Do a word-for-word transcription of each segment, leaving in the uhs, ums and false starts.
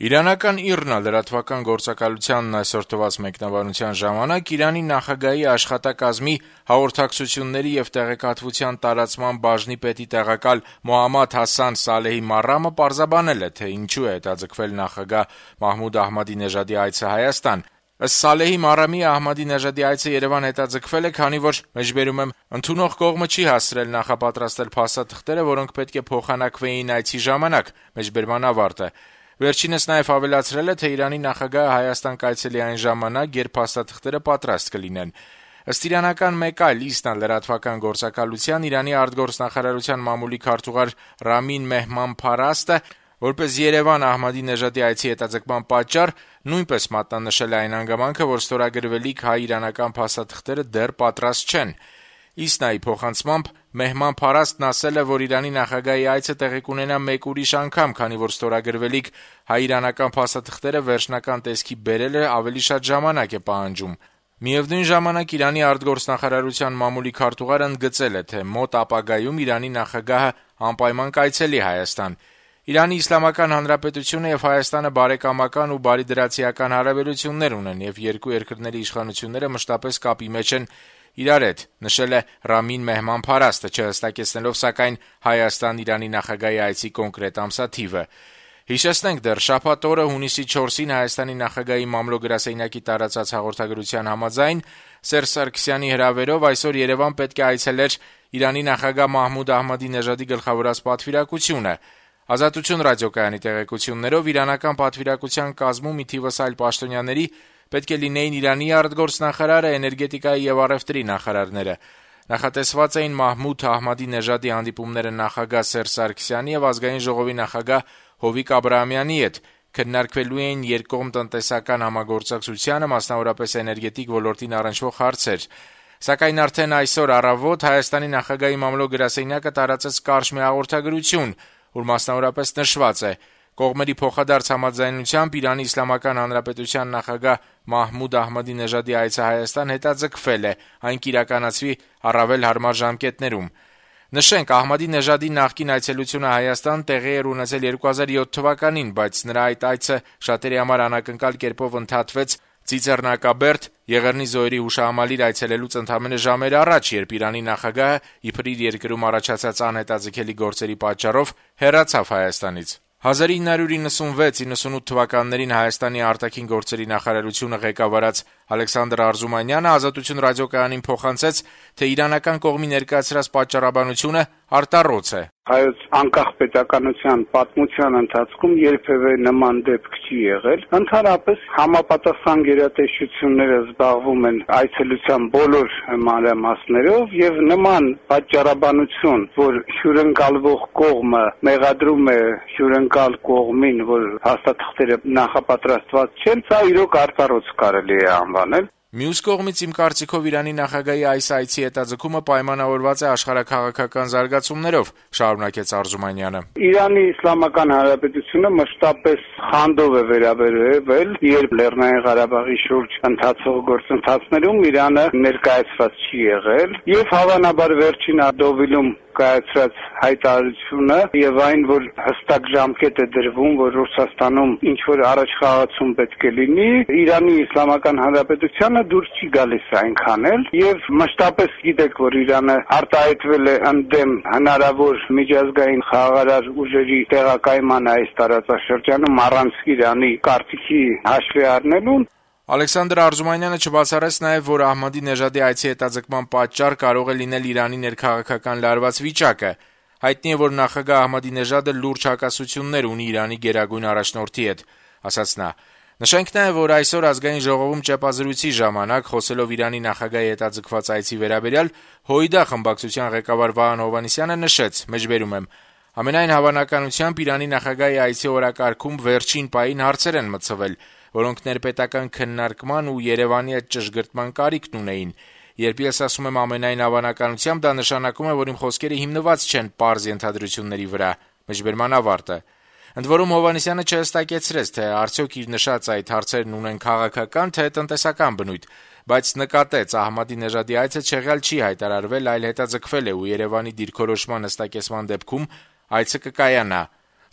Իրանական ԻՌՆԱ լրատվական գործակալությանն այսօր տված մեկնաբանության ժամանակ Իրանի նախագահի աշխատակազմի հաղորդակցությունների եւ տեղեկատվության տարածման բաժնի պետի տեղակալ Մոհամմադ Հասան Սալեհի Մարամը պարզաբանել է, թե ինչու է հետաձգվել նախագահ Մահմուդ Ահմադինեժադի այցը Հայաստան։ Ըստ Սալեհի Մարամի, Ահմադինեժադի այցը Երևան հետաձգվել է, քանի որ, մեջբերում եմ, ընդունող կողմը չի հասցրել նախապատրաստել փաստաթղթերը, որոնք պետք է փոխանակվեին այցի ժամանակ, մեջբերման ավարտը։ Վերջինս նաև ավելացրել է, թե Իրանի նախագահը Հայաստան կայցելի այն ժամանակ, երբ փաստաթղթերը պատրաստ կլինեն։ Ըստ իրանական մեկ այլ ԻՍՆԱ լրատվական գործակալության, Իրանի արտգործնախարարության մամուլի քարտուղար Ռամին Մեհման Փարաստը, որպես Երևան Ահմադինեժադի այցի հետաձգման պատճառ, նույնպես մատնանշել է այն հանգամանքը, որ ստորագրվելիք հայ-իրանական փաստաթղթերը դեռ պատրաստ չեն։ ԻՍՆԱ-ի փոխանցմամբ Մեհման Փարաստն ասել է, որ Իրանի նախագահի այցը տեղի կունենա մեկ ուրիշ անգամ, քանի որ ստորագրվելիք հայ-իրանական փաստաթղթերը վերջնական տեսքի բերելը ավելի շատ ժամանակ է պահանջում։ Միևնույն ժամանակ Իրանի արտգործնախարարության մամուլի քարտուղարը ընդգծել է, թե մոտ ապագայում Իրանի նախագահը անպայման կայցելի Հայաստան։ Իրանի Իսլամական Հանրապետությունը եւ Հայաստանը բարեկամական ու բարիդրացիական հարաբերություններ ունեն եւ երկու երկրների իշխանությունները մշտապես կապի մեջ են իրար հետ, նշել է Ռամին Մեհման Փարաստը, չհստակեցնելով սակայն Հայաստան-Իրանի նախագահի այցի կոնկրետ ամսաթիվը։ Հիշեցնենք, դեռ շաբաթ օրը հունիսի չորսին Հայաստանի նախագահի մամլո-գրասենյակի տարածած հաղորդագրության համաձայն Սերժ Սարգսյանի հրավերով այսօր Երևան պետք է այցելեր Իրանի նախագահ Մահմուդ Ահմադինեժադի գլխավորած պատվիրակությունը։ Ազատություն ռադիոկայանի տեղեկություններով իրանական պատվիրակության կազմում մի թիվս այլ պաշտոնյաների պետք է լինեին Իրանի արտգործնախարարը, էներգետիկայի եւ առևտրի նախարարները։ Նախատեսված էին Մահմուդ Ահմադինեժադի հանդիպումները նախագահ Սերժ Սարգսյանի եւ ազգային ժողովի նախագահ Հովիկ Աբրահամյանի հետ, քննարկվելու էին երկկողմ տնտեսական համագործակցությանը, մասնավորապես էներգետիկ ոլորտին առնչվող հարցեր։ Սակայն արդեն այսօր առավոտ Հայաստանի նախագահի մամլո-գրասենյակը տարածեց կարճ մի հաղորդագրություն, որ մասնավորապես նշված է. կողմերի փոխադարձ համաձայնությամբ Իրանի Իսլամական Հանրապետության նախագահ Մահմուդ Ահմադինեժադի այցը Հայաստան հետաձգվել է, այն կիրականացվի առավել հարմար ժամկետներում։ Նշենք, Ահմադինեժադի նախկին այցելությունը Հայաստան տեղի էր ունեցել երկու հազար յոթ թվականին, բայց նրա այդ այցը շատերի համար անակնկալ կերպով ընդհատվեց Ծիծեռնակաբերդ Եղեռնի զոհերի հուշահամալիր այցելելուց ընդամենը ժամեր առաջ, երբ Իրանի նախագահը իբր իր երկրում առաջացած անհետաձգելի գործերի պատճառով հեռացավ Հայաստանից։ հազար ինը հարյուր իննսունվեց իննսունութ թվականներին Հայաստանի արտաքին գործերի նախարարությունը ղեկավարած Ալեքսանդր Արզումանյանը Ազատություն ռադիոկայանին փոխանցեց, թե իրանական կողմի ներկայացրած պատճառաբանությունը արտառոց է։ Հայոց անկախ պետականության պատմության ընթացքում երբևէ նման դեպք չի եղել։ Ընդհանրապես համապատասխան գերատեսչությունները զբաղվում են այցելության բոլոր մանրամասներով եւ նման պատճառաբանություն, որ հյուրընկալվող կողմը մեղադրում է հյուրընկալ կողմին, որ հաստատքները նախապատրաստված չեն, սա իրոք արտառոց կարելի է անվանել։ Մյուս կողմից իմ կարծիքով Իրանի նախագահի այս այցի հետաձգումը պայմանավորված է աշխարհաքաղաքական զարգացումներով, շարունակեց Արզումանյանը։ Իրանի Իսլամական Հանրապետությունը մշտապես խանդով է վերաբերվել, երբ Լեռնային Ղարաբաղի շուրջ ընթացող գործընթացներում Իրանը ներկայացված չի եղել, եւ հավանաբար վերջին Ադովիլում կայացրած հայտարարությունը եւ այն, որ հստակ ժամկետ է դրվում, որ Ռուսաստանում ինչ որ առաջխաղացում պետք է լինի, Իրանի Իսլամական Հանրապետությանը դուր չի գալիս այնքան էլ, եւ մշտապես գիտեք, որ Իրանը արտահայտվել է ընդդեմ հնարավոր միջազգային խաղաղարար ուժերի տեղակայման այս տարածաշրջանում առանց Իրանի կարծիքի հաշվի առնելու։ Ալեքսանդր Արզումանյանը չբացառեց նաև, որ Ահմադինեժադի այցի հետաձգման պատճառ կարող է լինել Իրանի ներքաղաքական լարված վիճակը։ Հայտնի է, որ նախագահ Ահմադինեժադը լուրջ հակասություններ ունի Իրանի գերագույն առաջնորդի հետ, ասաց նա։ Նշենք նաև, որ այսօր ազգային ժողովում ճեպազրույցի ժամանակ, խոսելով Իրանի նախագահի հետաձգված այցի վերաբերյալ, Հոյդա խմբակցության ղեկավար Վահան Հովհաննիսյանը նշեց, մեջբերում եմ. ամենայն հավանականությամբ Իրանի նախագահի այցի օրակարգում վերջին պահին հարցեր են մտցվել, որոնք ներպետական քննարկման ու Երևանի հետ ճշգրտման կարիքն ունեին։ Երբ ես ասում եմ ամենայն հավանականությամբ, դա նշանակում է, որ իմ խոսքերը հիմնված չեն պարզ ենթադրությունների վրա, մեջբերման ավարտը։ Ընդ որում Հովհաննիսյանը չհստակեցրեց, թե արդյոք իր նշած այդ հարցերն ունեն քաղաքական, թե տնտեսական բնույթ, բայց նկատեց Ահմադինեժադի այցը չեղյալ չի հայտարարվել, այլ հետաձգվել է ու Երևանի դիրքորոշման հստակեցման դեպքում այցը կկայանա։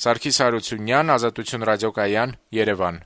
Սարգիս Հարությունյան, Ազատություն ռադիոկայան, Երևան։